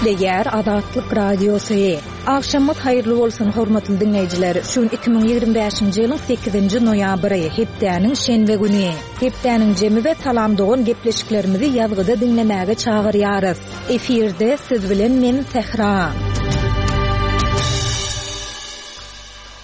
Gepleýär Azatlyk Radiosy. Agşamyňyz haýyrly bolsun, hormatly diňleýjiler! Şu gün 2025-nji ýylyň sekizinji noýabry, hepdäniň şenbe güni. Hepdäniň jemi we Salam dogan gepleşiklerimizi ýazgyda diňlemäge çagyrýarys. Efirde siz bilen men Sähra.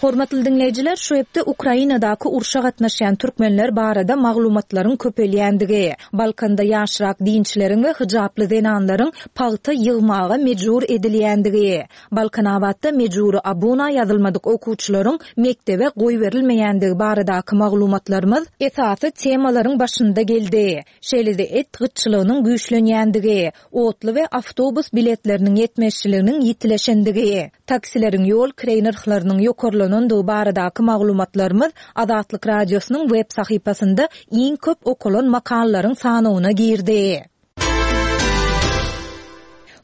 Hormatly diňleýjiler, şu hepde Ukrainadaky urşa gatnaşýan türkmenler barada maglumatlaryň köpelýändigi, Balkanda ýaşrak dinçileriň we hyjaply zenanlaryň pagta ýygmaga mejbur edilýändigi, Balkanabatda mejbury abuna ýazylmadyk okuwçylaryň mekdebe goýberilmeýändigi baradaky maglumatlarymyz esasy temalaryň başynda geldi. Şeýle-de et gytçylygynyň güýçlenýändigi, otly we awtobus biletleriniň ýetmezçiliginiň ýitileşendigi, taksileriň ýol kireý nyrhlarynyň ýokarlanandygy baradaky maglumatlarymyz Azatlyk Radiosynyň web sahypasynda iň köp okalan makalalaryň sanawyna girdi.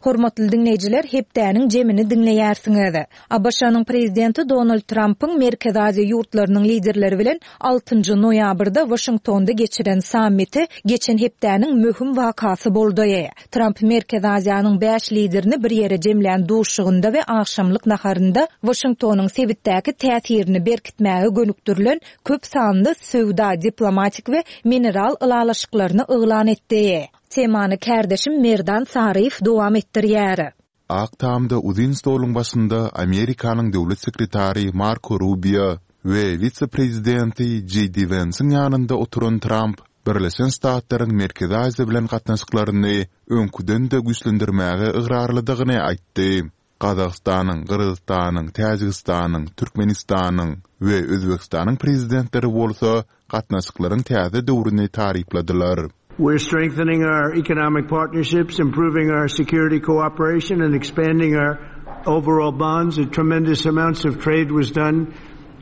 Hormatly diňleýjiler, hepdäniň jemini diňleýärsiňiz. ABŞ-nyň Prezidenti Donald Trampyň Merkezi Aziýa ýurtlarynyň liderleri bilen altynjy noýabrda Waşingtonda geçiren sammiti geçen hepdäniň möhüm wakasy boldy. Tramp Merkezi Aziýanyň bäş liderini bir ýere jemlän duşuşygynda we agşamlyk naharynda Waşingtonyň sebitdäki täsirini berkitmäge gönükdirilen köp sanly söwda, diplomatik we mineral ylalaşyklaryny yglan etdi. Temany kärdeşim Merdan Saryýew dowam etdirýär. Ak Tamda uzyn stoluň başynda Amerikanyň Döwlet sekretary Marko Rubio we wise-prezidenti Jeý Di Wensiň ýanynda oturan Tramp Birleşen Ştatlaryň Merkezi Aziýa bilen gatnaşyklaryny öňküden-de güýçlendirmäge ygrarlydygyny aýtdy. Gazagystanyň, Gyrgyzystanyň, Täjigistanyň, Türkmenistanyň we Özbegistanyň prezidentleri bolsa gatnaşyklaryň täze döwrüni tarypladylar. We're strengthening our economic partnerships, improving our security cooperation and expanding our overall bonds. Tremendous amounts of trade was done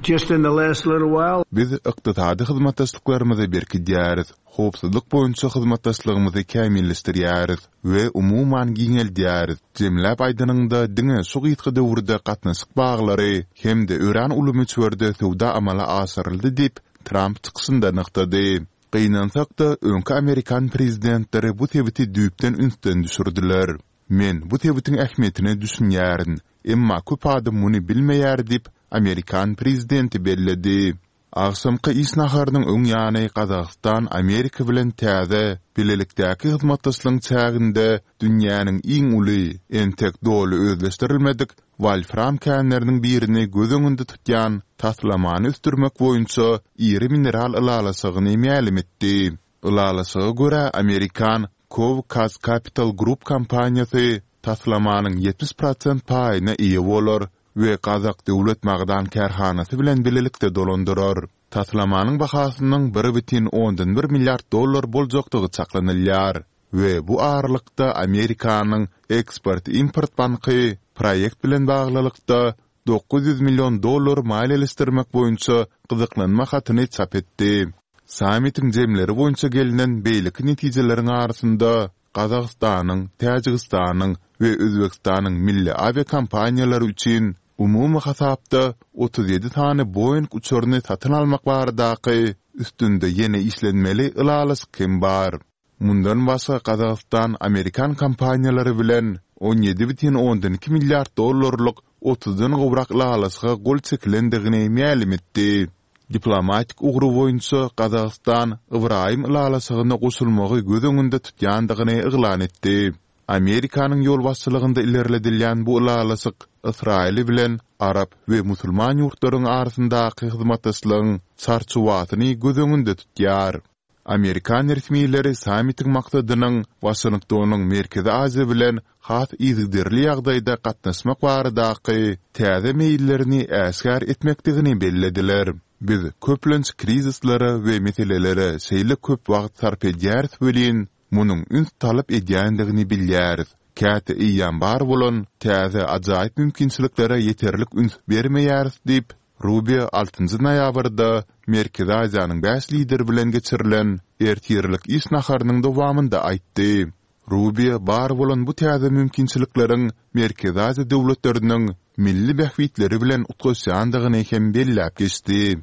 just in the last little while. Biz ykdysady hyzmatdaşlyklarymyzy berkidýäris, howpsuzlyk boýunça hyzmatdaşlygymyzy kämilleşdirýäris we umuman giňeldýäris. Jemläp aýdanyňda, diňe şu gysga döwürde gatnaşyk baglary hem-de örän uly möçberde söwda amala aşyryldy diýip, Tramp çykyşynda nygtady. Gynansak-da, öňki amerikan prezidentleri bu sebiti düýpden ünsden düşürdiler. Men bu sebitiň ähmiýetine düşünýärin, emma köp adam muny bilmeýär diýip, amerikan prezidenti belledi. Agşamky iş naharynyň öň ýany Gazagystan Amerika bilen täze, bilelikdäki hyzmatdaşlygyň çäginde dünýäniň iň uly, entek doly özleşdirilmedik wolfram känleriniň birini göz öňünde tutýan taslamany ösdürmek boýunça iri mineral ylalaşygyny mälim etdi. Ylalaşyga görä, amerikan Cove Capital Group kompaniýasy taslamanyň 70 prosent paýyna eýe bolar we Gazak döwlet magdan kärhanasy bilen bilelikde dolandyrar. Taslamanyň bahasynyň 1,1 milliard dollar boljakdygy çaklanylýar we bu aralykda Amerikanyň Eksport-import banky proýekt bilen baglylykda 900 million dollar maliýeleşdirmek boýunça gyzyklanma hatyny çap etdi. Sammitiň jemleri boýunça gelnen beýleki netijeleriň arasynda Gazagystanyň, Täjigistanyň we Özbegistanyň milli awiakompaniýalary üçin umumy hasapda 37 sany Boeing uçaryny satyn almak baradaky üstünde ýene işlenmeli ylalaşyk hem bar. Mundan başga Gazagystan amerikan kompaniýalary bilen 17,2 milliard dollarlyk otuzdan gowrak ylalaşyga gol çekilendigini mälim etdi. Diplomatik ugry boýunça Gazagystan Ybraýym ylalaşygyna goşulmagy göz öňünde tutýandygyny yglan etdi. Amerikanyň ýolbaşçylygynda ilerledilýän bu ylalaşyk Ysraýyl bilen arap we musulman ýurtlaryň arasyndaky hyzmatdaşlygyň çarçuwasyny göz öňünde tutýar. Amerikan resmileri sammitiň maksadynyň Waşingtonyň Merkezi Aziýa bilen has yzygiderli ýagdaýda gatnaşmak baradaky täze meýillerini äşgär etmekdigini bellediler. Biz köplenç krizislere we meselelere şeýle köp wagt sarp edýäris welin, munuň üns talap edýändigini bilýäris. Käte eýýäm bar bolan täze ajaýyp mümkinçiliklere ýeterlik üns bermeýäris diýip, Rubio altynjy noýabrda Merkezi Aziýanyň bäş lideri bilen geçirilen ertirlik iş naharynyň dowamynda aýtdy. Rubio bar bolan bu täze mümkinçilikleriň Merkezi Aziýa döwletleriniň milli bähbitleri bilen utgaşýandygyny hem belläp geçdi.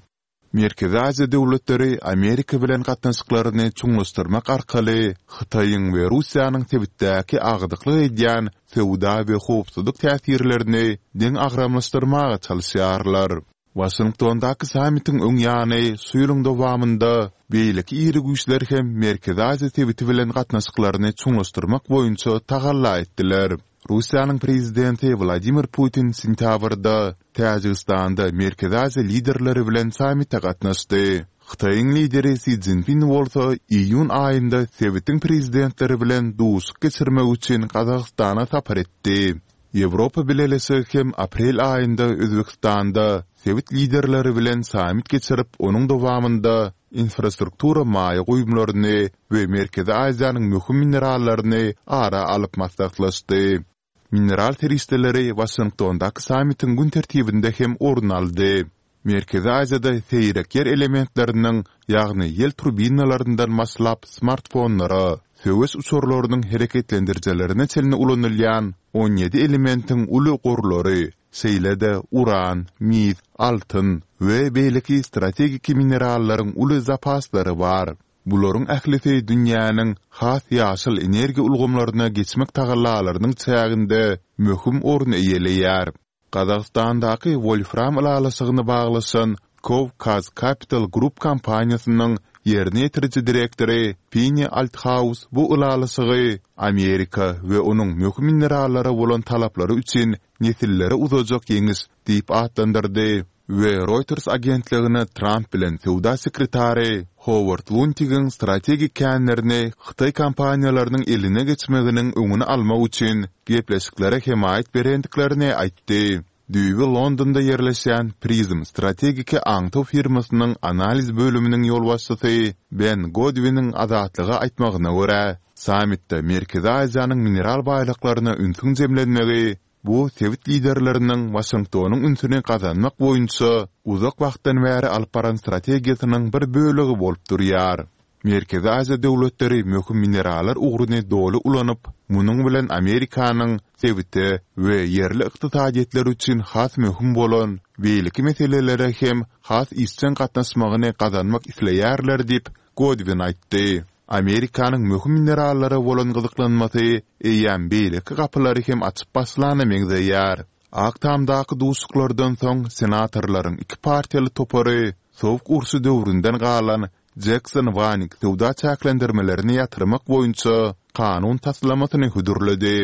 Merkezi Aziýa döwletleri Amerika bilen gatnaşyklaryny çuňlaşdyrmak arkaly Hytaýyň we Russiýanyň sebitdäki agdyklyk edýän söwda we howpsuzlyk täsirlerini deňagramlaşdyrmaga çalyşýarlar. Waşingtondaky sammitiň öň ýany şu ýylyň dowamynda beýleki iri güýçler hem Merkezi Aziýa sebiti bilen gatnaşyklaryny çuňlaşdyrmak boýunça tagalla etdiler. Russiýanyň Prezidenti Wladimir Putin sentýabrda Täjigistanda Merkezi Aziýa liderleri bilen sammite gatnaşdy. Hytaýyň lideri Si Szinpin bolsa iýun aýynda sebitiň prezidentleri bilen duşuşyk geçirmek üçin Gazagystana sapar etdi. Ýewropa Bileleşigi hem aprel aýynda Özbegistanda sebit liderleri bilen sammit geçirip, onuň dowamynda infrastruktura maýa goýumlaryny we Merkezi Aziýanyň möhüm minerallaryny ara alyp maslahatlaşdy. Mineral serişdeleri Waşingtondaky sammitiň gün tertibinde hem orun aldy. Merkezi Aziýada seýrek ýer elementleriniň, ýagny ýel turbinalaryndan başlap smartfonlara, söweş uçarlarynyň hereketlendirijilerine çenli ulanylýan 17 elementiň uly gorlary, şeýle-de uran, mis, altyn we beýleki strategik minerallaryň uly zapaslary bar. Bularyň ählisi dünýäniň has ýaşyl energiýa ulgamlaryna geçmek tagallalarynyň çäginde möhüm orun eýeleýär. Gazagystandaky wolfram ylalaşygyny baglaşan Cov-Kaz Capital Group kompaniýasynyň ýerine ýetiriji direktory Pini Althaus bu ylalaşygy Amerika we onuň möhüm minerallara bolan talaplary üçin nesillere uzajak ýeňiş diýip atlandyrdy. We Reuters agentligine Tramp bilen söwda sekretary Howard Luntigiň strategik känlerini hytaý kompaniýalarynyň eline geçmeginiň öňüni almak üçin gepleşiklere hemaýat berendiklerini aýtdy. Düýbi Londonda ýerleşýän Prism strategiki aňtaw firmasynyň analiz bölüminiň ýolbaşçysy Ben Godwiniň Azatlyga aýtmagyna görä, sammitde Merkezi Aziýanyň mineral baýlyklaryna ünsüň jemlenmegi Bu sebit liderleriniň Waşingtonyň ünsüni gazanmak boýunça uzak wagtdan bäri alyp baran strategiýasynyň bir bölegi bolup durýar. Merkezi Aziýa döwletleri möhüm minerallar ugruny doly ulanyp, munuň bilen Amerikanyň sebite we ýerli ykdysadyýetler üçin has möhüm bolan beýleki meselelere hem has işjeň gatnaşmagyny gazanmak isleýärler diýip, Godwin aýtdy. Amerikanyň möhüm minerallara bolan gyzyklanmasy eýýäm beýleki gapylary hem açyp başlana meňzeýär. Ak Tamdaky duşuşyklardan soň senatorlaryň iki partiýaly topary Sowuk urşy döwründen galan Jekson-Wanik söwda çäklendirmelerini ýatyrmak boýunça kanun taslamasyny hödürledi.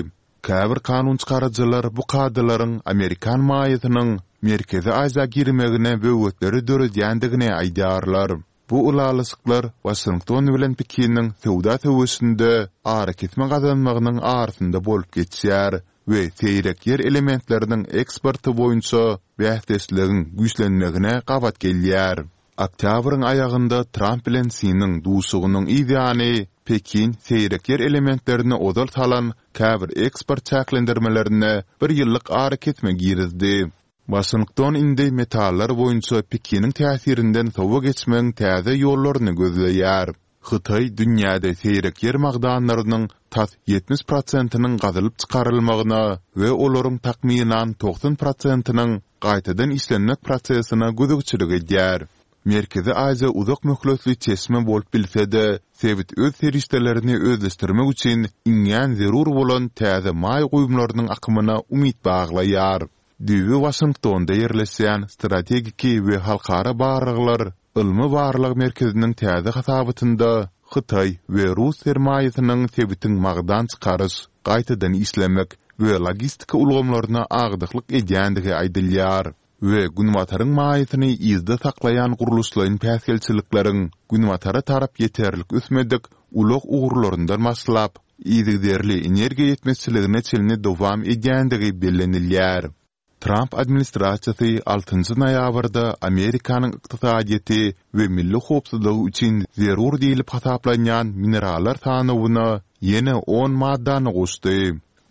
Käbir kanunçykaryjylar bu kadalaryň amerikan maýasynyň Merkezi Aziýa girmegine böwetleri döredýändigini aýdýarlar. Bu ylalaşyklar Waşington bilen Pekiniň söwda söweşinde arakesme gazanmagynyň arasynda bolup geçýär we seýrek ýer elementleriniň eksporty boýunça bäsdeşligiň güýçlenmegine gabat gelýär. Oktýabryň aýagynda Tramp bilen Siniň duşugynyň yz ýany Pekin seýrek ýer elementlerine ozal salan käbir eksport çäklendirmelerine bir ýyllyk arakesme girizdi. Waşington indi metallar boýunça Pekiniň täsirinden sowa geçmegiň täze ýollaryny gözleýär. Hytaý dünýäde seýrek ýer magdanlarynyň tas 70 prosentiniň gazylyp çykarylmagyna we olaryň takmynan 90 prosentiniň gaýtadan işlenmek prosesine gözegçilik edýär. Merkezi Aziýa uzak möhletli çeşme bolup bilse-de, sebit öz serişdelerini özleşdirmek üçin iňňän zerur bolan täze maýa goýumlarynyň akymyna umyt baglaýar. Düýbi Waşingtonda ýerleşýän Strategiki we halkara barlaglar ylmy-barlag merkeziniň täze hasabatynda hytaý we rus sermaýasynyň sebitiň magdan çykaryş, gaýtadan işlemek we logistika ulgamlaryna agdyklyk edýändigi aýdylýar we Günbataryň maýasyny yzda saklaýan gurluşlaýyn päsgelçilikleriň Günbatara tarap ýeterlik ösmedik ulag ugurlaryndan başlap, yzygiderli energiýa ýetmezçiligine çenli dowam edýändigi bellenilýär. Tramp administrasiýasy altynjy noýabrda Amerikanyň ykdysadyýeti we milli howpsuzlygy üçin zerur diýlip hasaplanýan minerallar sanawyna ýene on maddany goşdy.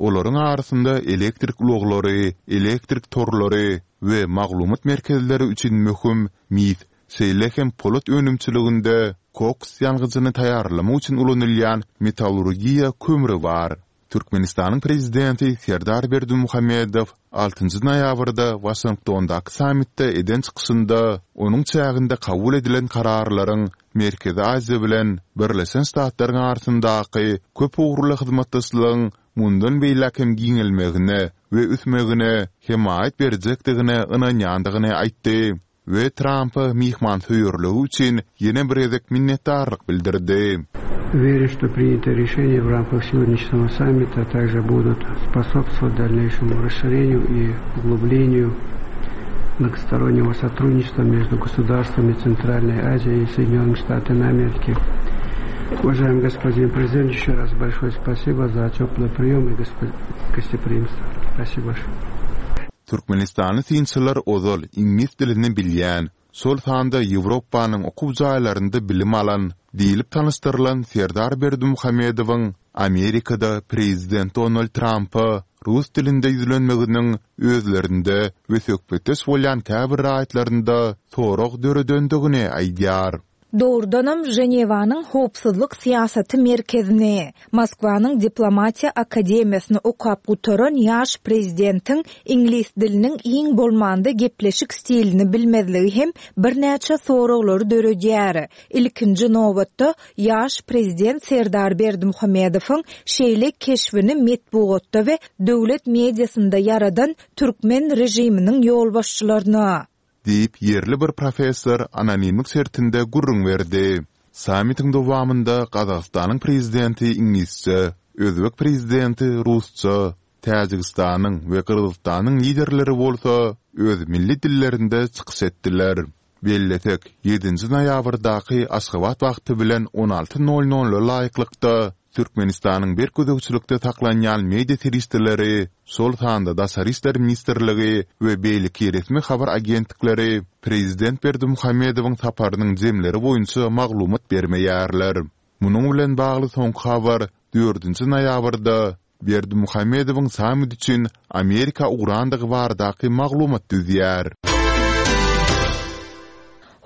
Olaryň arasynda elektrik ulaglary, elektrik torlary we maglumat merkezleri üçin möhüm mis, şeýle hem polat önümçiliginde koks ýangyjyny taýýarlamak üçin ulanylýan metallurgiýa kömri bar. Türkmenistanyň Prezidenti Serdar Berdimuhamedow altynjy noýabrda Waşingtondaky sammitde eden çykyşynda onuň çäginde kabul edilen kararlaryň Merkezi Aziýa bilen Birleşen Ştatlaryň arasyndaky köp ugurly hyzmatdaşlygyň mundan beýläk hem giňelmegine we ösmegine hemaýat berjekdigine ynanýandygyny aýtdy. we Trampa myhmansöýerligi üçin ýene bir gezek minnetdarlyk bildirdi. Верю, что принятые решения в рамках сегодняшнего саммита также будут способствовать дальнейшему расширению и углублению многостороннего сотрудничества между государствами Центральной Азии и Соединенными Штатами Америки. Уважаемый господин президент, еще раз большое спасибо за теплый прием и гостеприимство. Спасибо большое. Türkmenistanly synçylar ozal iňlis dilini bilýän, şol sanda Ýewropanyň okuw jaýlarynda bilim alan diýlip tanyşdyrylan Serdar Berdimuhamedowyň Amerikada prezident Donald Trampa rus dilinde ýüzlenmeginiň özlerinde we söhbetdeş bolýan käbir raýatlarynda sorag döredendigini aýdýar. Dogrudanam, Ženewanyň Howpsuzlyk syýasaty merkezini, Moskwanyň Diplomatiýa akademiýasyny okap gutaran ýaş prezidentiň iňlis diliniň iň bolmanda gepleşik stilini bilmezligi hem birnäçe soraglary döredýär. Ilkinji nobatda, ýaş prezident Serdar Berdimuhamedowyň şeýle keşbini metbugatda we döwlet mediasynda ýaradan türkmen režiminiň ýolbaşçylaryna. Diýip, ýerli bir professor anonimlik şertinde gürrüň berdi. Sammitiň dowamynda Gazagystanyň prezidenti iňlisçe, özbek prezidenti rusça, Täjigistanyň we Gyrgyzystanyň liderleri bolsa öz milli dillerinde çykyş etdiler. Bellesek, ýedinji noýabrdaky Aşgabat wagty bilen 16 nol nola laýyklykda, Türkmenistanyň berk gözegçilikde saklanýan media serişdeleri, şol sanda Daşary işler ministrligi we beýleki resmi habar agentlikleri prezident Berdimuhamedowyň saparynyň jemleri boýunça maglumat bermeýärler. Munuň bilen bagly soňky habar dördünji noýabrda Berdimuhamedowyň sammit üçin Amerika ugrandygy baradaky maglumat düzýär.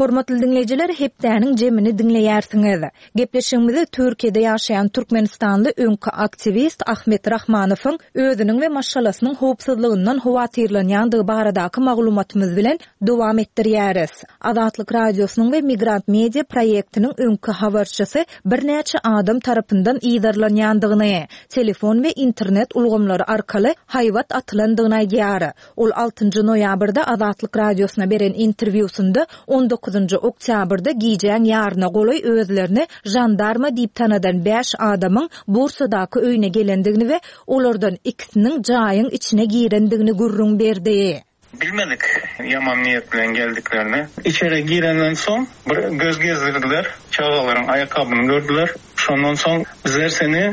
Hormatly diňleýjiler, hepdäniň jemini diňleýärsiňiz. Gepleşigimizi Türkiýede ýaşaýan türkmenistanly öňki aktiwist Ahmet Rahmanowyň özüniň we maşgalasynyň howpsuzlygyndan howatyrlanýandygy baradaky maglumatymyz bilen dowam etdirýäris. Azatlyk Radiosynyň we Migrant Media proýektiniň öňki habarçysy birnäçe adam tarapyndan yzarlanýandygyny, telefon we internet ulgamlary arkaly haýbat atylandygyny aýdýar. Ol altynjy noýabrda Azatlyk Radiosyna beren interwýusynda on dokuzynjy oktýabrda gijäň ýaryna golaý özlerini žandarma diýip tanadan bäş adamyň Bursadaky öýüne gelendigini we olardan ikisiniň jaýyň içine girendigini gürrüň berdi. Bilmedik ýaman niýet bilen geldiklerini. Içeri girenden soň bir göz gezdirdiler, çagalaryň aýakgabyny gördüler. Şondan soň bizler seni,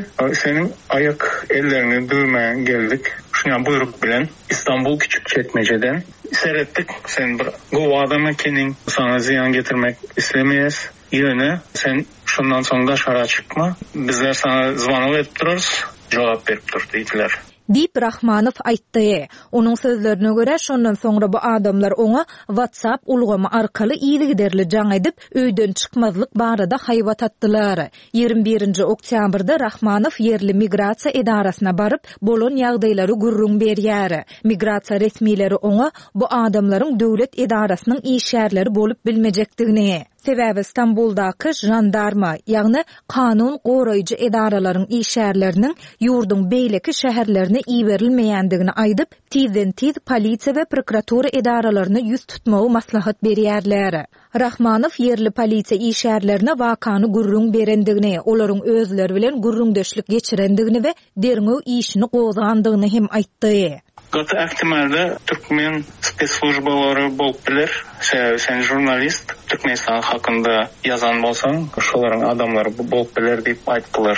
seniň aýak elleriňi döwmäge geldik. Şuňa buýruk bilen Istanbul Küçükçekmejeden seretdik, sen bir gowy adam ekeniň, saňa zyýan getirmek islemeýäs. Ýöne sen şundan soň daşara çykma, bizler saňa zwanok edip durarys, jogap berip dur diýdiler. Diýip, Rahmanow aýtdy. Onuň sözlerine görä, şondan soňra bu adamlar oňa WhatsApp ulgamy arkaly yzygiderli jaň edip, öýden çykmazlyk barada haýbat atdylar. Ýigrimi birinji oktýabrda Rahmanow ýerli migrasiýa edarasyna baryp, bolan ýagdaýlary gürrüň berýär. Migrasiýa resmileri oňa bu adamlaryň döwlet edarasynyň işgärleri bolup bilmejekdigini, Sebäbi Stambuldaky žandarma, ýagny kanun goraýjy edaralaryň işgärleriniň ýurduň beýleki şäherlerine iberilmeýändigini aýdyp, tizden-tiz polisiýa we prokuratura edaralaryna ýüz tutmagy maslahat berýärler. Rahmanow ýerli polisiýa işgärlerine wakany gürrüň berendigini, olaryň özleri bilen gürrüňdeşlik geçirendigini we derňew işini gozgandygyny hem aýtdy. Gaty ähtimalda türkmen spesslujbalary bolup biler. Sebäbi sen žurnalist, Türkmenistan hakynda ýazan bolsaň, şolaryň adamlary bolup biler diýip aýtdylar.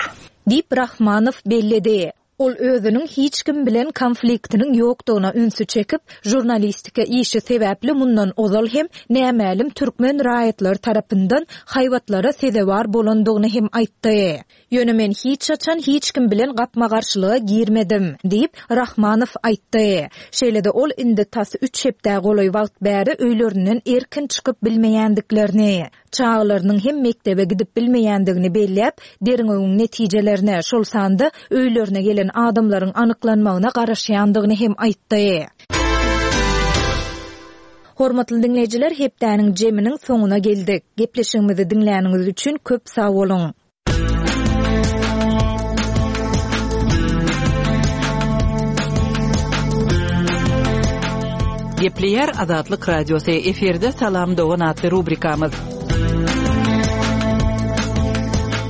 Diýip, Rahmanow belledi. Ol özüniň hiç kim bilen konfliktiniň ýokdugyna ünsi çekip, žurnalistika işi sebäpli mundan ozal hem nämälim türkmen raýatlary tarapyndan haýbatlara sezewar bolandygyny hem aýtdy. Ýöne men hiç haçan hiç kim bilen gapma-garşylyga girmedim, diýip, Rahmanow aýtdy. Şeýle-de ol indi tas üç hepdä golaý wagt bäri öýlerinden erkin çykyp bilmeýändiklerini, Çagalarynyň hem mekdebe gidip bilmeýändigini belläp, derňewiň netijelerine, şol sanda öýlerine gelen adamlaryň anyklanmagyna garaşýandygyny hem aýtdy. Hormatly diňleýjiler, hepdäniň jeminiň soňuna geldik. Gepleşigimizi diňläniňiz üçin köp sag boluň! Gepleýär Azatlyk Radiosy, efirde Salam dogan atly rubrikamyz.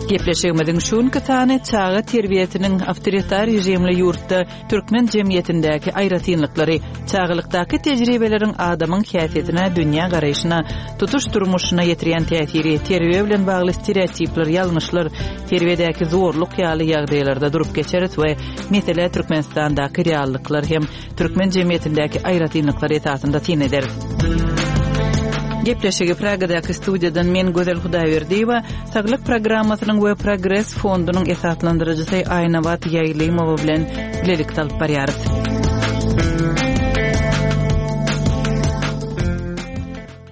Gepleşigimiziň şu günki sany çaga terbiýesiniň awtoritar režimli ýurtda türkmen jemgyýetindäki aýratynlyklary, çagalykdaky tejribeleriň adamyň häsiýetine, dünýä garaýşyna, tutuş durmuşyna ýetirýän täsiri, terbiýe bilen bagly stereotipler, ýalňyşlar, terbiýedäki zorluk ýaly ýagdaýlarda durup geçeris we meselä Türkmenistandaky reallyklar hem türkmen jemgyýetindäki aýratynlyklar esasynda syn ederis. Gepleşigi Pragadaky studiýadan men Gözel Hudaýberdiýewa, Saglyk programmasynyň we Progres fondunyň esaslandyryjysy Aýnabat Ýaýlymowa bilen bilelikde alyp barýarys.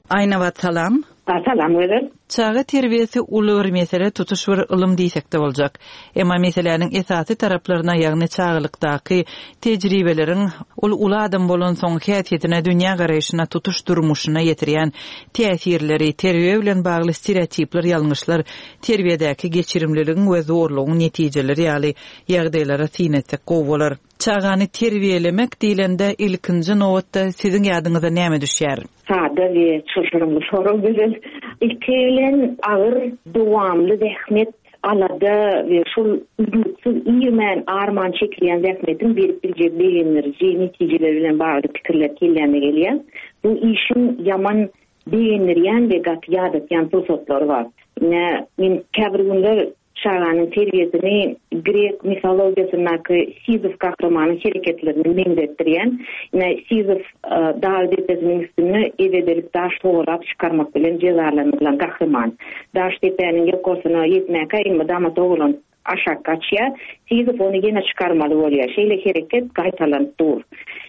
Aýnabat salam. Salam Gözel. Çaga terbiýesi uly bir mesele, tutuş bir ylym diýsek-de boljak. Emma meseläniň esasy taraplaryna, ýagny çagalykdaky tejribeleriň ol uly adam bolansoň häsiýetine, dünýägaraýşyna, tutuş durmuşyna ýetirýän täsirleri, terbiýe bilen bagly stereotipler, ýalňyşlar, terbiýedäki geçirimliligiň we zorlugyň netijeleri ýaly ýagdaýlara syn etsek gowy bolar. Çagany terbiýelemek diýlende ilkinji nobatda siziň ýadyňyza näme düşýär? Sada we çylşyrymly sorag Gözel. Ilki bilen agyr, dowamly zähmet, alada we şol üznüksiz irmän, arman çekilýän zähmetiň berip biljek begendiriji netijeleri bilen bagly pikirler kelläme gelýär. Bu işiň ýaman begendirýän we gaty ýadatýan pursatlary bar. Ine, men käbir günler Çaganyň terbiýesini grek mifologiýasyndaky Sizif gahrymanyň hereketlerine meňzetdirýän. Ine, Sizif dag depesiniň üstünde ebedelik daş togalap çykarmak bilen jezalandyrylan gahryman. Daş depäniň ýokarsyna ýetmäkä elmydama togalanyp aşak gaçýar. Sizif ony ýene çykarmaly bolýar. Şeýle hereket gaýtalanyp dur.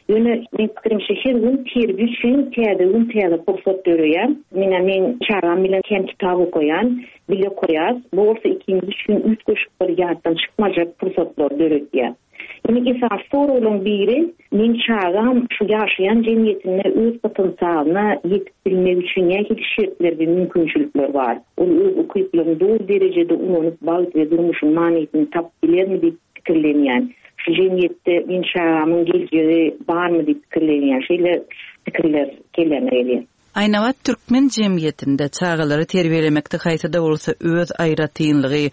Ýöne, meň pikirimçe, her gün terbiýe üçin täze gün, täze pursat döreýär. Menä meň çagam bilen kän kitap okaýan. Bile okaýas, bu bolsa ikimiz üçin üýtgeşik bir ýatdan çykmajak pursatlary döredýär. Indi esasy soraglaryň biri, meň çagam şu ýaşaýan jemgyýetinde öz potensialyna ýetip bilmegi üçin nähili şertler we mümkinçilikler bar? Ol öz ukyplaryny doly derejede ulanyp bagt we durmuşyň manysyny tapyp bilermi diýip pikirlenýän. Şu jemgyýetde meň çagamyň geljegi barmy diýip pikirlenýän. Şeýle pikirler kelläme gelýär. Aýnabat türkmen jemgyýetinde çagalary terbiýelemekde haýsy-da bolsa öz aýratynlygy,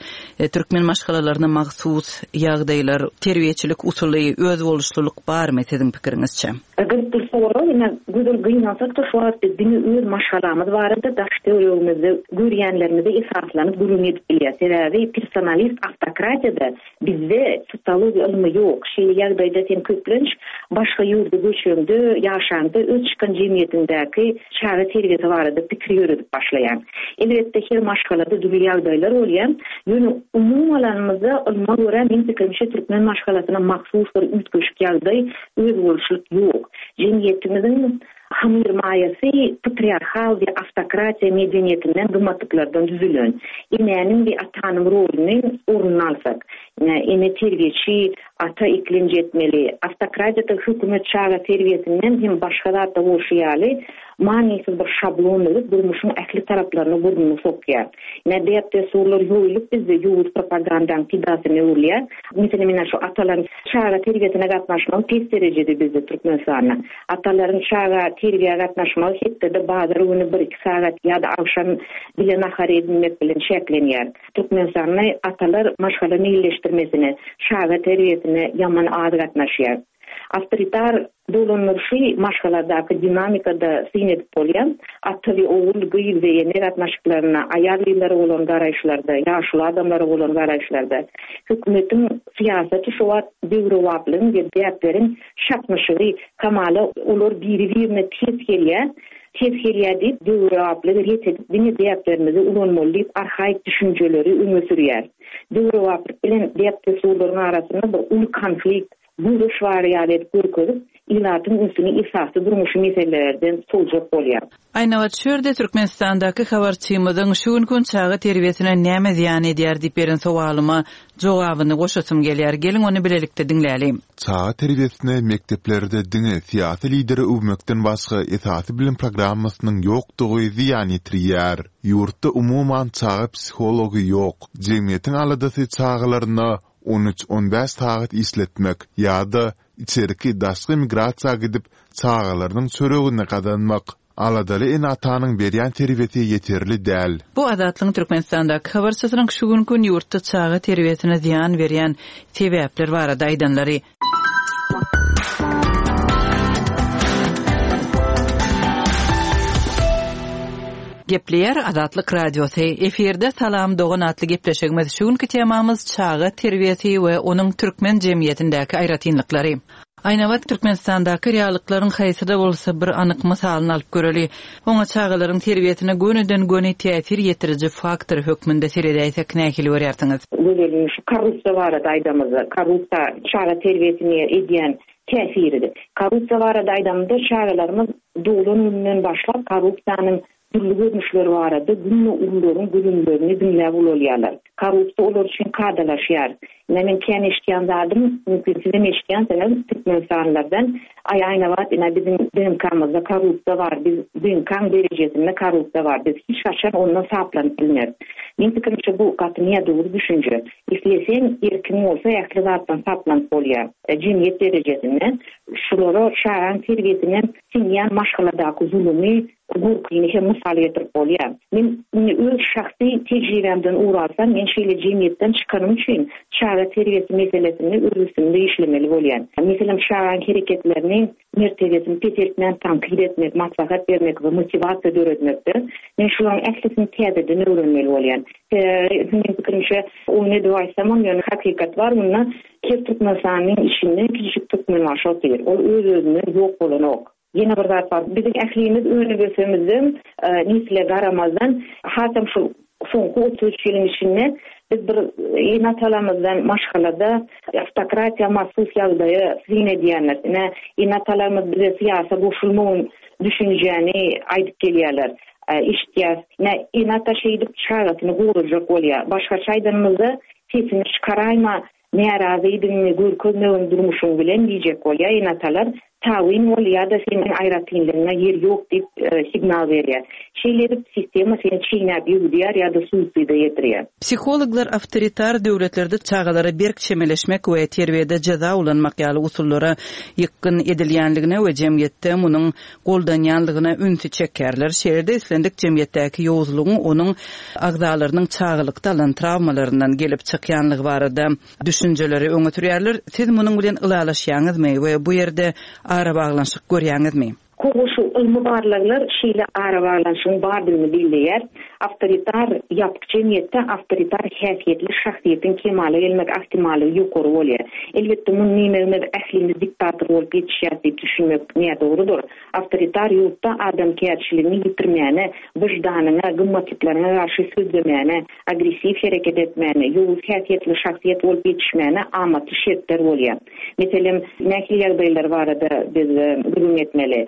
türkmen maşgalalaryna mahsus ýagdaýlar, terbiýeçilik usuly, özboluşlylyk barmy siziň pikiriňizçe? Gyzykly sorag, ine Gözel gynansak-da şu wagt biz diňe öz maşgalamyz barada daş-töweregimizde görýänlerimize esaslanyp gürrüň edip bilýäs. Sebäbi personalist awtokratiýada Bizde sosiologiýa ylmy ýok. Şeýle ýagdaýda sen köplenç başga ýurda göçeňde, ýaşaňda öz çykan jemgyýetiňdäki çaga terbiýesi barada pikir ýöredip başlaýaň. Elbetde her maşgalada dürli ýagdaýlar bolýar. Ýöne umumy alanymyzda ylma görä meň pikirimçe türkmen maşgalasyna mahsus bir üýtgeşik ýagdaý, özboluşlyk ýok. Jemgyýetimiziň Hamyrmaýasy patriarhal we awtokratiýa medeniýetinden gymmatlyklardan düzülen. Enäniň we atanyň roluny ornuny alsak, ine, ene terbiýeçi, ata eklenç etmeli. Awtokratiýada hökümet çaga terbiýesinden hem başga zatda bolşy ýaly, manysyz bir şablon düzüp, durmuşyň ähli taraplaryna burnuny sokýar. Ine, däp-dessurlar ýoýulyp bizde ýowuz propagandaň pidasyna öwrülýär. Meselem, ine, şu atalaryň çaga terbiýesine gatnaşmagy pes derejede bizde Türkmenistanda. Atalaryň çaga terbiýä gatnaşmagy hepdede bazar güni bir-iki sagat ýa-da agşam bile nahar edinmek bilen çäklenýär. Türkmenistanda atalar maşgala meýilleşdirmesine, çaga terbiýesine ýaman az gatnaşýar. Awtoritar dolandyryşy maşgaladaky dinamikada syn edip bolýar. Ata we ogul, gyz we ene gatnaşyklarynda, aýal-gyzlara bolan garaýyşlarda, ýaşuly adamlara bolan garaýyşlarda hökümetiň syýasaty şu wagt döwrebaplygyň we däpleriň Çaknyşygy, hamala olar biri-birine ters gelýär, ters gelýär diýip, döwrebaplygy ret edip, diňe däplerimizi ulanmaly diýip arhaik düşünjeleri öňe sürýär. Döwrebaplyk bilen däp-dessurlaryň arasynda bir uly konflikt. Göreş bar ýaly edip görkezip, ilatyň ünsüni esasy durmuşy meselelerden sowjak bolýar. Aýnabat şu ýerde Türkmenistandaky habarçymyzyň şu günki gün çaga terbiýesine näme zyýan edýär diýip beren sowalyma jogabyny goşasym gelýär. Geliň ony bilelikde diňläli. Çaga terbiýesine mekdeplerde diňe syýasy lideri öwmekden başga esasy bilim programmasynyň ýokdugy zyýan ýetirýär. Ýurtda umuman çaga psihology ýok. Jemgyýetiň aladasy çagalaryna on üç-on bäş sagat işletmek ýa-da içerki-daşky migrasiýa gidip, çagalarynyň çöregini gazanmak. Aladaly ene-atanyň berýän terbiýesi ýeterli däl. Bu Azatlygyň Türkmenistandaky habarçysynyň şu günki gün ýurtda çaga terbiýesine zyýan berýän sebäpler barada aýdanlary. Gepleýär Azatlyk Radiosy, efirde Salam dogan atly gepleşigimiz şu günki temamyz çaga terbiýesi we onuň türkmen jemgyýetindäki aýratynlyklary. Aýnabat Türkmenistandaky reallyklaryň haýsy-da bolsa bir anyk mysalyny alyp göreli. Oňa çagalaryň terbiýesine gönüden-göni täsir ýetiriji faktor hökmünde seredäýsek nähili görýärsiňiz? Gözelim şu korrupsiýa barada aýdamyzda, korrupsiýa çaga terbiýesine edýän täsiridir. Korrupsiýa barada aýdamyzda çagalarymyz doglan gününden başlap korrupsiýanyň dürli görnüşleri barada günde ulularyň gürrüňlerini diňläp ulalýarlar. Korrupsiýa olar üçin kadalaşýar. Ine men kän eşidýän zadym, mümkin sizem eşidýänsiňiz türkmenistanlylardan, Aý Aýnabat ine biziň DNK-myzda korrupsiýa bar, biz DNK-ň derejesinde korrupsiýa bar, biz hiç haçan ondan saplanyp bilmeris. Meň pikirimçe bu gaty nädogry düşünje. Isleseň, erkiň bolsa ähli zatdan saplanyp bolýar. Jemgyýet derejesinde şulara çagaň terbiýesine siňýän maşgaladaky zulumy, gorkyny hem mysal getirip bolýar. Men indi öz şahsy tejribämden ugur alsam, men şeýle jemgyýetden çykanym üçin çaga terbiýesi meselesinde öz üstümde işlemeli bolýan. Meselem, çagaň hereketlerini, mertebesini peseltmän tankyt etmek, maslahat bermek we motiwasiýa döretmekde men şularyň ählisini täzeden öwrenmeli bolýan. Sebäbi meniň pikirimçe, oýun edip aýtsamam, ýöne hakykat bar munda, her türkmenistanlyň içinde kiçijik türkmenbaşy otyr. Ol öz-özünden ýok bolanok. Ýene bir zat bar, biziň ählimiz önüp-ösemizden, nesle garamazdan, hasam şu soňky 33 ýylyň içinde biz bir ene-atalarymyzdan maşgalada awtokratiýa mahsus ýagdaýa syn edýändiris. Ine, ene-atalarymyz bize syýasa goşulmagyn düşünjäni aýdyp gelýärler. Eşitýäs. Ine, ene-ata şeýdip çagasyny gorajak bolýar. Başgaça aýdanymyzda, sesiňi çykaraýma, Närazydygyňy görkezmegin durmuşyň bilen diýjek bolýar ene-atalar, tabyn bol ýa-da seniň aýratynlygyňa ýer ýok diýip signal berýär. Şeýle edip sistema seni çeýnäp ýuwudýar ýa-da suiside ýetirýär. Psihologlar awtoritar döwletlerde çagalara berk çemeleşmek we terbiýede jeza ulanmak ýaly usullara ýykgyn edilýänligine we jemgyýetde munuň goldanýanlygyna ünsi çekýärler. Şeýle-de islendik jemgyýetdäki ýowuzlygyň onuň agzalarynyň çagalykda alan trawmalaryndan gelip çykýanlygy barada düşünjeleri öňe sürýärler. Siz munuň bilen ylalaşýaňyzmy we bu ýerde arabaglanyşyk görýäňizmi? Hawa, şu ylmy barlaglar şeýle arabaglanyşygyň bardygyny belleýär. Awtoritar ýapyk jemgyýetde awtoritar häsiýetli şahsyýetiň kemala gelmek ahtimallygy ýokary bolýar. Elbetde, muny diýmegimiz ählimiz diktator bolup ýetişýäris diýip düşünmek nädogrudyr. Awtoritar ýurtda adamkärçiligiňi ýitirmäne, wyždanyňa, gymmatlyklaryňa garşy sözlemäne, agressiw hereket etmäne, ýowuz häsiýetli şahsyýet bolup ýetişmäne amatly şertler bolýar. Meselem, nähili ýagdaýlar barada biz gürrüň etmeli?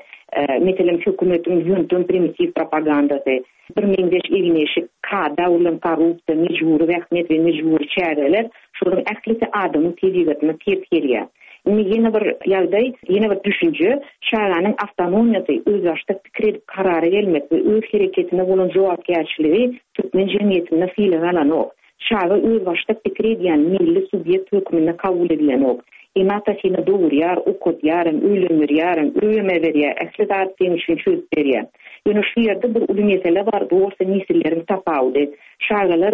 Meselem, hökümetiň ýöntem primitiw propagandasy, birmeňzeş egin-eşik, kada urlan korrupsiýa, mejbury zähmet we mejbury çäreler, şolaryň ählisi adamyň tebigatyna ters gelýär. Indi ýene bir ýagdaý, ýene bir düşünje, çaganyň awtonomiýasy, özbaşdak pikir edip karara gelmek we öz hereketine bolan jogapkärçiligi türkmen jemgyýetinde sylag alanok. Çaga özbaşdak pikir edýän milli subýekt hökmünde kabul edilenok. Ene-ata seni dogurýar, okadýaram, öýlendirýärem, öýem äberýär, ähli zady seň üçin çözüp berýär. Ýöne şu ýerde bir uly mesele bar, bu bolsa nesilleriň tapawudy. Çagalar,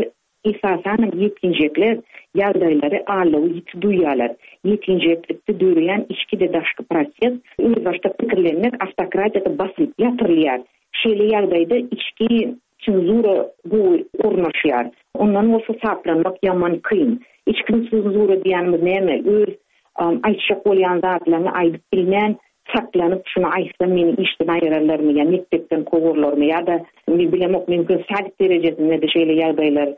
esasanam ýetginjekler ýagdaýlary aldawy ýiti duýýarlar. Ýetginjeklikde döreýän içki-de daşky proses, özbaşdak pikirlenmek awtokratiýada basylyp ýatyrylýar. Şeýle ýagdaýda içki Senzura gowy ornaşýar. Ondan bolsa saplanmak ýaman kyn. Içki senzura diýýänimiz näme? Öz aýtjak bolýan zatlaryňy aýdyp bilmän, Saklanyp şuny aýtsam meni işden aýyrarlarmy ýa mekdepden kowarlarmy ýa-da men bilemok mümkin sadik derejesinde-de şeýle ýagdaýlar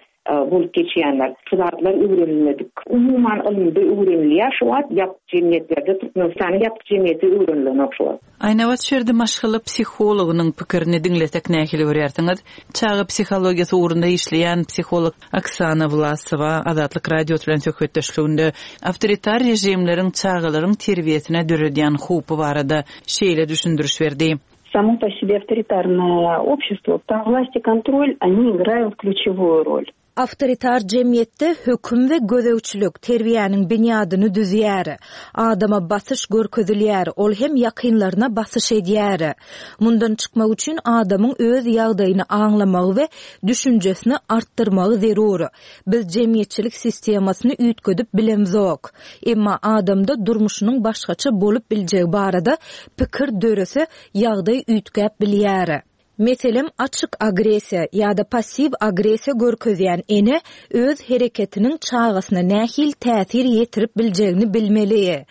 bolup geçýändir. Şu zatlar öwrenilmedik. Umuman ylymda öwrenilýär şu wagt ýapyk jemgyýetlerde Türkmenistanyň ýapyk jemgyýeti öwrenilenok şu wagt. Aýnabat şu ýerde maşgala psihologynyň pikirini diňlesek nähili görýärsiňiz? Çaga psihologiýasy ugrunda işleýän psiholog Oksana Wlasowa Azatlyk Radiosy bilen söhbetdeşliginde awtoritar režimleriň çagalaryň terbiýesine döredýän howpy barada şeýle düşündiriş berdi. Samo po sebe awtoritarnoe общество, tam власть и kontrol, oni igraýut klýuçewoýu rol. Awtoritar jemgyýetde höküm we gözegçilik terbiýäniň binýadyny düzýär. Adama basyş görkezilýär, ol hem ýakynlaryna basyş edýär. Mundan çykmak üçin adamyň öz ýagdaýyny aňlamagy we düşünjesini artdyrmagy zerur. Biz jemgyýetçilik sistemasyny üýtgedip bilemzok. Emma adamda durmuşynyň başgaça bolup biljegi barada pikir dörese, ýagdaý üýtgäp bilýär. Meselem, açyk agressiýa ýa-da passiw agressiýa görkezýän ene öz hereketiniň çagasyna nähili täsir ýetirip biljegini bilmeli.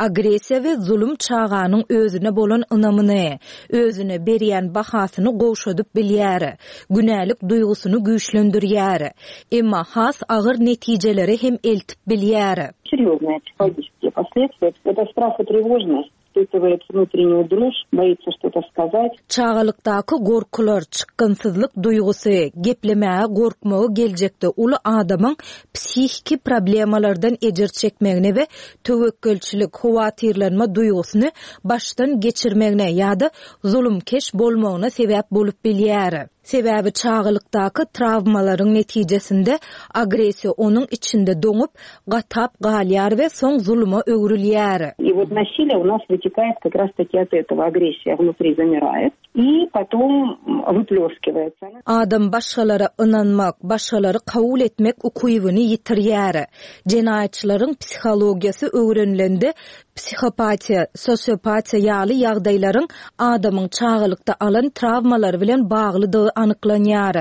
Agressiýa we zulum çaganyň özüne bolan ynamyny, özüne berýän bahasyny gowşadyp bilýär, günälik duýgusyny güýçlendirýär. Emma has agyr netijelere hem eltip bilýär. Serýoznyý psihologiskiý posledstwiýa, это strah i trewožnost. Испытывает внутреннюю дрожь, boýится что-то сказать. Çagalykdaky gorkular, çykgynsyzlyk duýgusy, geplemäge gorkmagy geljekde uly adamyň psihiki problemalardan ejir çekmegine we töwekgelçilik, howatyrlanma duýgusyny başdan geçirmegine ýa-da zulumkeş bolmagyna sebäp bolup bilýär. Sebäbi çagalykdaky trawmalaryň netijesinde agressiýa onuň içinde doňup, gatap galýar we soň zuluma öwrülýär. I wot nasiliýe u nas wytekaet kak raz taki ot etogo, agressiýa wnutri zamiraet i potom wyplýoskiwaetsa. Adam başgalara ynanmak, başgalary kabul etmek ukybyny ýitirýär. Jenaýatçylaryň psihologiýasy öwrenilende Psihopatiýa, sosiopatiýa ýaly ýagdaýlaryň adamyň çagalykda alan trawmalary bilen baglydygy anyklanýar.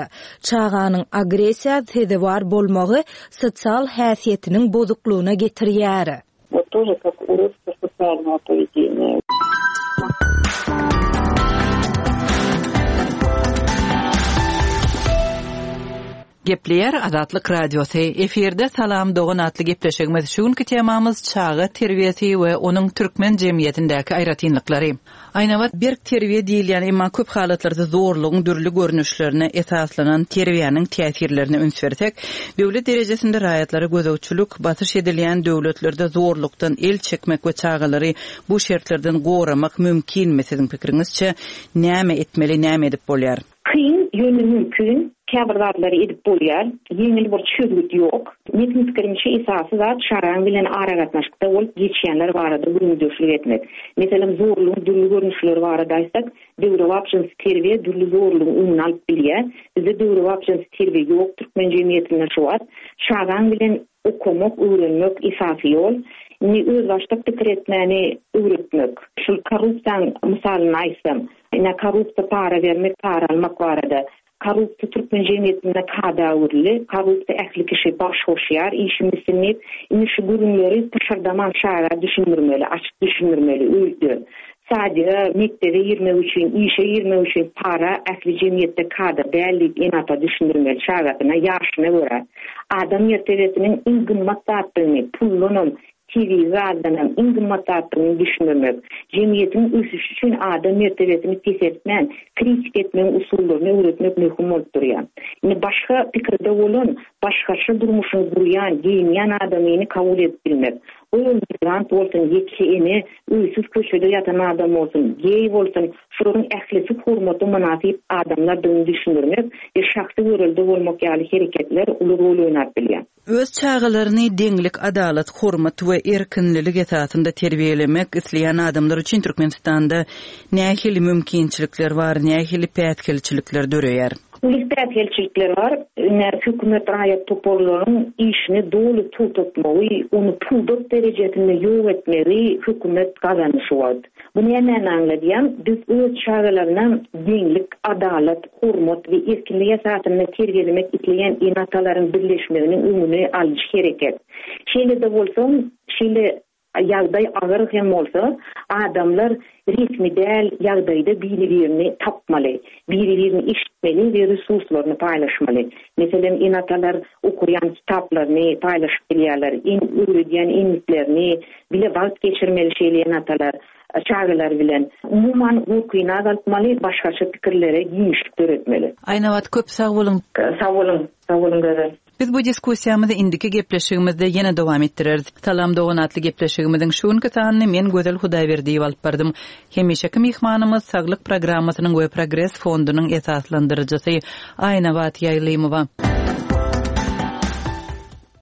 Çaganyň agressiýa sezewar bolmagy sosial häsiýetiniň bozuklygyna getirýär. Вот тоже как уродство социального поведения. Gepleýär Azatlyk Radiosy, Efirde Salam dogan atly gepleşigimiz. Şu günki temamyz çaga terbiýesi we onuň türkmen jemgyýetindäki aýratynlyklary. Aýnabat berk terbiýe diýilýän, emma köp halatlarda zorlugyň dürli görnüşlerine esaslanan terbiýäniň täsirlerine üns bersek, döwlet derejesinde raýatlara gözegçilik, basyş edilýän döwletlerde zorlukdan el çekmek we çagalary bu şertlerden goramak mümkinmi siziň pikiriňizçe näme etmeli, näme edip bolýar? Kyn, ýöne mümkin. Käbir zatlary edip bolýar. Ýeňil bir çözgüt ýok. Meniň pikirimçe esasy zat çagaň bilen aragatnaşykda bolup geçýänler barada gürrüňdeşlik etmek. Meselem zorlugyň dürli görnüşleri barada aýtsak, döwrebap jynsy terbiýe dürli zorlugyň öňüni alyp bilýär. Bizde döwrebap jynsy terbiýe ýok türkmen jemgyýetinde şu wagt. Çagaň bilen okamak, öwrenmek esasy ýol. Indi özbaşdak pikir etmäni öwretmek. Şul korrupsiýaň mysalyny aýtsam, ine korrupsiýa para bermek, para almak barada. Korrupsiýa türkmen jemgyýetinde kada öwrüldi. Korrupsiýa ähli kişi baş goşýar işim bitsin diýip. Indi şu gürrüňleri pyşyrdaman çaga düşündirmeli, açyk düşündirmeli öýde. Sadige, mekdebe girmek üçin, işe girmek üçin para ähli jemgyýetde kada däl diýip ene-ata düşündirmeli çagasyna ýaşyna görä. Adam mertebesiniň iň gymmat zatdygyny, puldanam, tebigy gazdanam iň gymmat zatdygyny düşündirmek. Jemgyýetiň ösüşi üçin adam mertebesini peseltmän, kritika etmegiň usullaryny öwretmek möhüm bolup durýar. Indi başga pikirde bolan, başgaça durmuşyny gurýan, geýinýän adamyny kabul edip bilmek. Ol migrant bolsun, ýeke ene, öýsüz köçede ýatan adam bolsun, geý bolsun, şularyň ählisi hormata mynasyp adamlardygyny düşündirmek we şahsy görelde bolmak ýaly hereketler uly rol oýnap bilýär. Öz çagalaryny deňlik, adalat, hormat we erkinlilik esasynda terbiýelemek isleýän adamlar üçin Türkmenistanda nähili mümkinçilikler bar, nähili päsgelçilikler döreýär? Uly päsgelçilikler bar. Ine, hökümet raýat toparlaryň işini doly togtatmagy, ony pudak derejesinde ýok etmegi hökümet gazandy şu wagt. Bu nämäni aňladýar? Biz öz çagalaryna deňlik, adalat, hormat we erkinlik esasynda terbiýelemek isleýän ene-atalaryň birleşmeginiň öňüni alyjy hereket. Şeýle-de bolsa, şeýle. Ýagdaý agyr hem bolsa, adamlar resmi däl ýagdaýda biri-birini tapmaly, biri-birini eşitmeli we resurslaryny paýlaşmaly. Meselem, ene-atalar okaýan kitaplaryny paýlaşyp bilýärler, öwredýän endiklerini, bile wagt geçirmeli şeýle ene-atalar çagalary bilen. Umuman, gorkyny azaltmaly, başgaça pikirlere giňişlik döretmeli. Aýnabat, köp sag boluň! Sag boluň! Sag boluň Gözel! Biz bu diskussiýamyzy indiki gepleşigimizde ýene dowam etdireris. Salam dogan atly gepleşigimiziň şu günki sanyny men Gözel Hudaýberdiýewa alyp bardym. Hemişeki myhmanymyz Saglyk programmasynyň we Progres fondunyň esaslandyryjysy Aýnabat Ýaýlymowa.